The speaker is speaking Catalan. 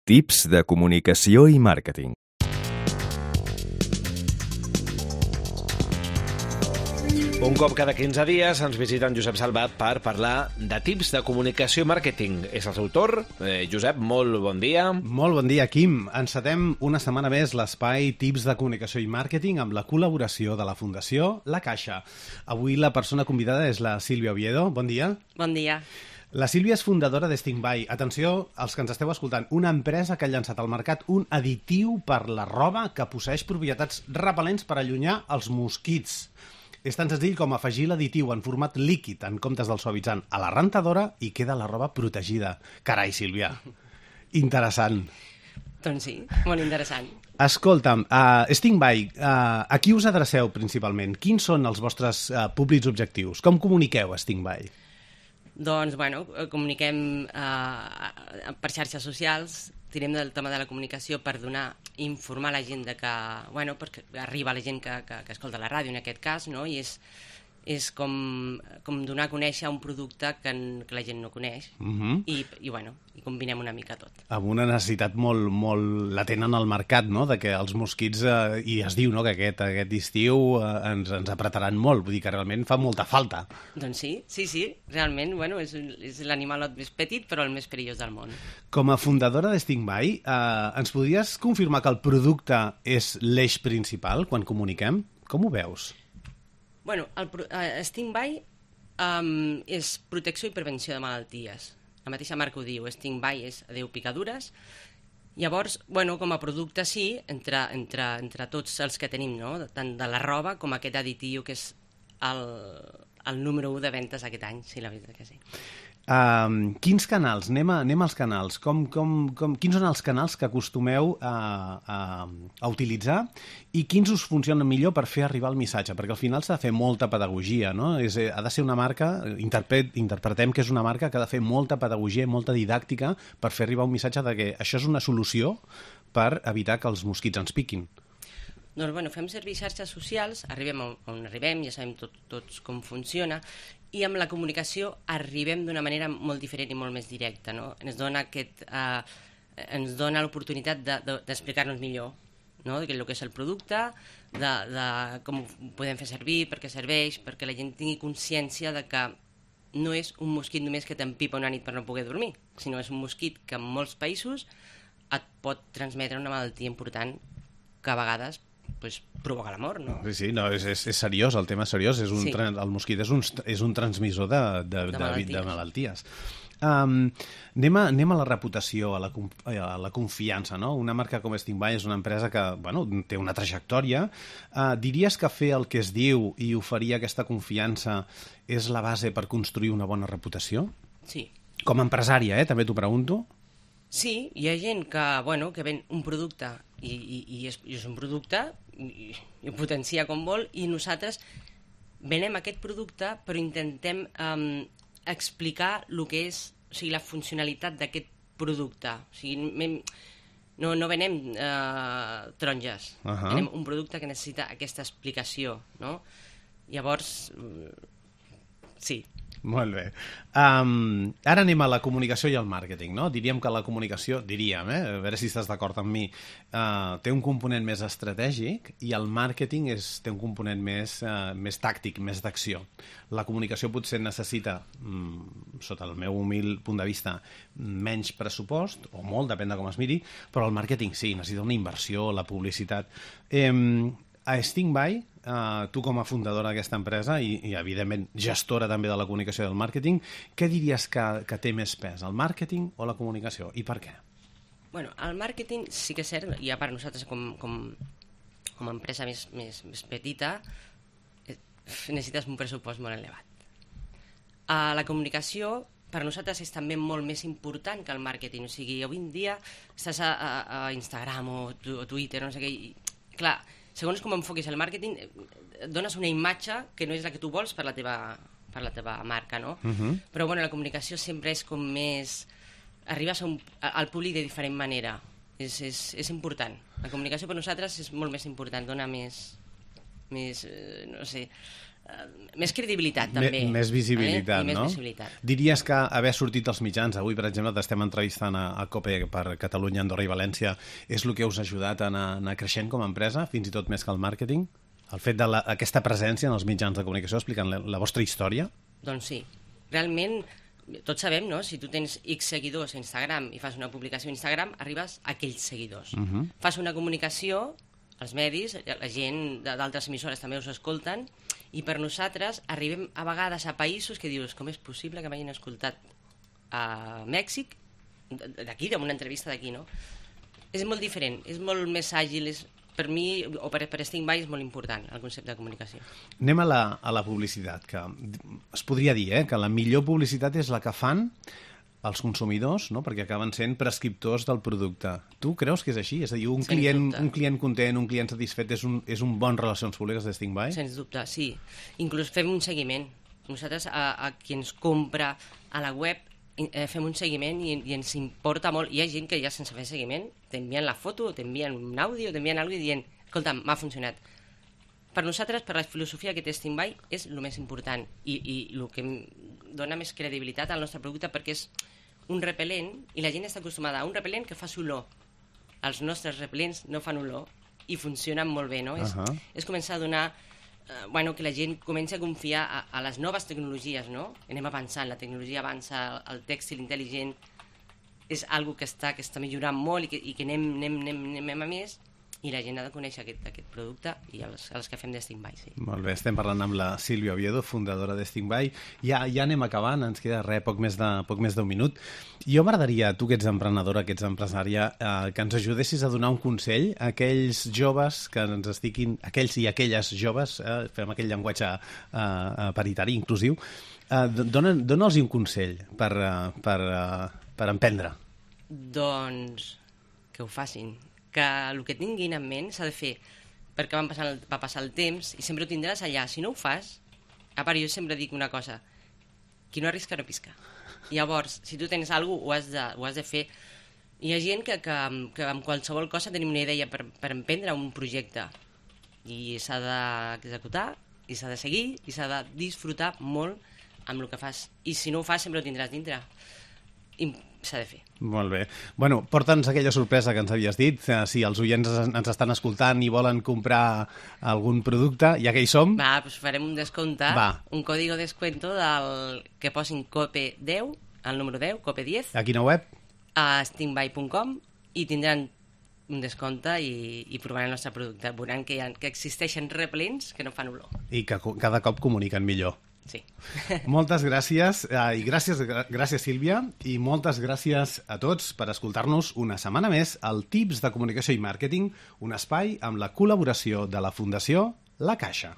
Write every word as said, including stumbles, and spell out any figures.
Tips de comunicació i màrqueting. Un cop cada quinze dies ens visita en Josep Salvat per parlar de tips de comunicació i màrqueting. És el seu torn. Eh, Josep, molt bon dia. Molt bon dia, Quim. Encetem una setmana més l'espai Tips de comunicació i màrqueting amb la col·laboració de la Fundació La Caixa. Avui la persona convidada és la Sílvia Oviedo. Bon dia. Bon dia. La Sílvia és fundadora d'Stingby. Atenció, als que ens esteu escoltant, una empresa que ha llançat al mercat un additiu per la roba que posseeix propietats repel·lents per allunyar els mosquits. És tan senzill com afegir l'additiu en format líquid en comptes del suavitzant a la rentadora i queda la roba protegida. Carai, Sílvia, interessant. Doncs sí, molt interessant. Escolta'm, uh, Stingby, uh, a qui us adreceu principalment? Quins són els vostres uh, públics objectius? Com comuniqueu a Stingby? Doncs, bueno, comuniquem uh, per xarxes socials, tirem del tema de la comunicació per donar, informar la gent de que, bueno, perquè arriba la gent que, que, que escolta la ràdio en aquest cas, no? I és, és com, com donar a conèixer un producte que, que la gent no coneix. Uh-huh. I, i, bueno, i combinem una mica tot. Amb una necessitat molt, molt latent en el mercat, no?, de que els mosquits, eh, i es diu, no?, que aquest, aquest estiu eh, ens, ens apretaran molt, vull dir que realment fa molta falta. Doncs sí, sí, sí, realment, bueno, és, és l'animalot més petit, però el més perillós del món. Com a fundadora de Stingby, eh, ens podries confirmar que el producte és l'eix principal quan comuniquem? Com ho veus? Bueno, el uh, Stingby um, és protecció i prevenció de malalties. La mateixa marca ho diu, Stingby és adéu picadures. Llavors, bueno, com a producte sí, entre, entre, entre tots els que tenim, no?, tant de la roba com aquest additiu que és el, el número u de ventes aquest any, sí, la veritat que sí. Uh, quins canals? Anem, a, anem als canals. Com, com, com, quins són els canals que acostumeu a, a, a utilitzar i quins us funcionen millor per fer arribar el missatge? Perquè al final s'ha de fer molta pedagogia, no? És, ha de ser una marca, interpret, interpretem que és una marca que ha de fer molta pedagogia i molta didàctica per fer arribar un missatge de que això és una solució per evitar que els mosquits ens piquin. Doncs, bueno, fem servir xarxes socials, arribem on arribem, ja sabem tot, tots com funciona, i amb la comunicació arribem d'una manera molt diferent i molt més directa, no? Ens dona, aquest, eh, ens dona l'oportunitat de, de, d'explicar-nos millor, no?, de el que és el producte, de, de com ho podem fer servir, per què serveix, perquè la gent tingui consciència de que no és un mosquit només que t'empipa una nit per no poder dormir, sinó és un mosquit que en molts països et pot transmetre una malaltia important que a vegades pues, provoca la mort, no? Sí, sí, no, és, és, és seriós, el tema és seriós. És un, sí. El mosquit és un, és un transmissor de, de, de, de malalties. De malalties. Um, anem, a, anem a la reputació, a la, a la confiança, no? Una marca com Stingby és una empresa que, bueno, té una trajectòria. Uh, diries que fer el que es diu i oferir aquesta confiança és la base per construir una bona reputació? Sí. Com a empresària, eh? També t'ho pregunto. Sí, hi ha gent que, bueno, que ven un producte i, i, i, és, i és un producte i, i ho potencia com vol i nosaltres venem aquest producte però intentem um, explicar el que és, o sigui, la funcionalitat d'aquest producte. O sigui, no, no venem uh, taronges, uh-huh. Venem un producte que necessita aquesta explicació, no? Llavors, sí. Molt bé. Um, ara anem a la comunicació i al màrqueting, no? Diríem que la comunicació, diríem, eh? A veure si estàs d'acord amb mi, uh, té un component més estratègic i el màrqueting és, té un component més, uh, més tàctic, més d'acció. La comunicació potser necessita, um, sota el meu humil punt de vista, menys pressupost, o molt, depèn de com es miri, però el màrqueting sí, necessita una inversió, la publicitat. Um, a Stingby, Uh, tu com a fundadora d'aquesta empresa i, i evidentment gestora també de la comunicació i del màrqueting, què diries que, que té més pes, el màrqueting o la comunicació, i per què? Bueno, el màrqueting sí que és cert, i a part nosaltres com, com, com a empresa més, més, més petita eh, necessites un pressupost molt elevat. Uh, la comunicació per nosaltres és també molt més important que el màrqueting, o sigui, avui en dia estàs a, a, a Instagram o, o Twitter, no sé què, i clar, segons com enfoquis el màrqueting, dones una imatge que no és la que tu vols per la teva, per la teva marca, no? Uh-huh. Però bueno, la comunicació sempre és com més... Arribes a un, al públic de diferent manera. És, és, és important. La comunicació per nosaltres és molt més important, dona més... més eh, no sé... més credibilitat, també. M més visibilitat, eh? I més no? visibilitat. Diries que haver sortit als mitjans, avui, per exemple, t'estem entrevistant a, a COPE per Catalunya, Andorra i València, és el que us ha ajudat a anar, anar creixent com a empresa, fins i tot més que el màrqueting? El fet d'aquesta presència en els mitjans de comunicació, explicant la, la vostra història? Doncs sí. Realment, tots sabem, no? Si tu tens X seguidors a Instagram i fas una publicació a Instagram, arribes a aquells seguidors. Uh -huh. Fas una comunicació, els medis, la gent d'altres emissores també us escolten, i per nosaltres arribem a vegades a països que dius, com és possible que m'hagin escoltat a Mèxic, d'aquí, d'una entrevista d'aquí, no? És molt diferent, és molt més àgil, és, per mi, o per, per Sting By, és molt important el concepte de comunicació. Anem a la, a la publicitat, que es podria dir eh, que la millor publicitat és la que fan els consumidors, no? Perquè acaben sent prescriptors del producte. Tu creus que és així? És a dir, un, client, un client content, un client satisfet és un, és un bon relacions públiques de Sting By? Sens dubte, sí. Inclús fem un seguiment. Nosaltres, a, a qui ens compra a la web, eh, fem un seguiment i, i ens importa molt. Hi ha gent que ja sense fer seguiment t'envien la foto, t'envien un àudio, t'envien alguna cosa dient, escolta, m'ha funcionat. Per nosaltres, per la filosofia que té Sting By, és el més important i, i el que dona més credibilitat al nostre producte, perquè és un repel·lent i la gent està acostumada a un repel·lent que fa olor. Els nostres repel·lents no fan olor i funcionen molt bé, no? Uh -huh. és, és començar a donar... Eh, bueno, que la gent comenci a confiar a, a les noves tecnologies, no? Anem avançant, la tecnologia avança, el tèxtil intel·ligent és algo que està, que està millorant molt i que, i que anem, anem, anem, anem a més, i la gent ha de conèixer aquest, aquest producte i els, els que fem de Sting By, sí. Molt bé, estem parlant amb la Sílvia Oviedo, fundadora de Sting By. Ja, ja anem acabant, ens queda res, poc més de, poc més d'un minut. Jo m'agradaria, tu que ets emprenedora, que ets empresària, eh, que ens ajudessis a donar un consell a aquells joves que ens estiquin, aquells i aquelles joves, eh, fem aquell llenguatge eh, paritari, inclusiu, eh, dona'ls dona un consell per, uh, per, uh, per emprendre. Doncs que ho facin, que el que tinguin en ment s'ha de fer, perquè van passar el, va passar el temps i sempre ho tindràs allà. Si no ho fas, a part jo sempre dic una cosa, qui no arrisca no pisca. Llavors, si tu tens alguna cosa, ho has de, ho has de fer. Hi ha gent que, que, que amb qualsevol cosa tenim una idea per, per emprendre un projecte i s'ha d'executar i s'ha de seguir i s'ha de disfrutar molt amb el que fas. I si no ho fas, sempre ho tindràs dintre. I s'ha de fer. Molt bé. Bueno, porta'ns aquella sorpresa que ens havies dit. Si els oients ens estan escoltant i volen comprar algun producte, ja que hi som... Va, doncs farem un descompte, Va. un código de descuento del que posin COPE deu, el número deu, COPE deu, A quina web? a stingby punt com i tindran un descompte i, i provaran el nostre producte. Veuran que, ha, que existeixen repel·lents que no fan olor. I que cada cop comuniquen millor. Sí. Moltes gràcies, eh, i gràcies, gràcies Sílvia, i moltes gràcies a tots per escoltar-nos una setmana més al Tips de Comunicació i Màrqueting, un espai amb la col·laboració de la Fundació La Caixa.